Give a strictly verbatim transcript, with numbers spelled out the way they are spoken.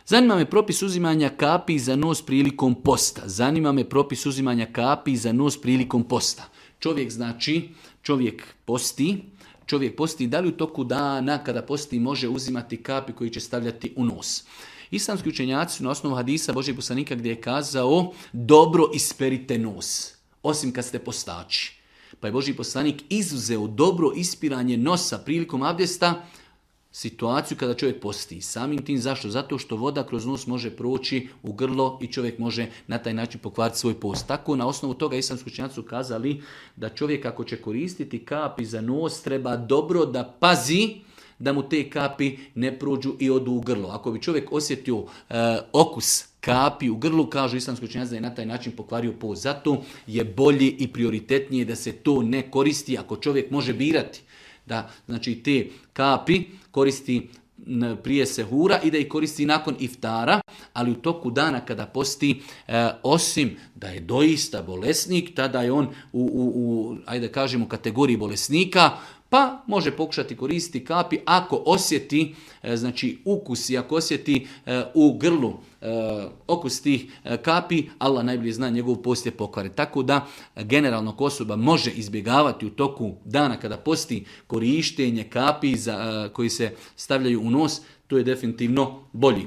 Zanima me propis uzimanja kapi za nos prilikom posta. Zanima me propis uzimanja kapi za nos prilikom posta. Čovjek znači, čovjek posti, čovjek posti, da li u toku dana kada posti može uzimati kapi koji će stavljati u nos. Islamski učenjaci su na osnovu hadisa Božjeg poslanika gdje je kazao dobro isperite nos, osim kad ste postači. Pa je Božji poslanik izuzeo dobro ispiranje nosa prilikom abdesta situaciju kada čovjek posti. Samim tim zašto? Zato što voda kroz nos može proći u grlo i čovjek može na taj način pokvariti svoj post. Tako na osnovu toga islamski učenjaci su kazali da čovjek ako će koristiti kapi za nos treba dobro da pazi da mu te kapi ne prođu i odu u grlo. Ako bi čovjek osjetio e, okus kapi u grlu, kažu islamski učenjaci da je na taj način pokvario post. Zato je bolje i prioritetnije da se to ne koristi ako čovjek može birati. Da, znači te kapi koristi prije sehura i da ih koristi nakon iftara, ali u toku dana kada posti, e, osim da je doista bolesnik, tada je on u, u, u ajde kažemo, kategoriji bolesnika, pa može pokušati koristiti kapi ako osjeti e, znači ukus i ako osjeti e, u grlu e, okus tih e, kapi, Allah najbolje zna njegov post je pokvaren. Tako da generalno ako osoba može izbjegavati u toku dana kada posti korištenje kapi za, e, koji se stavljaju u nos, to je definitivno bolji.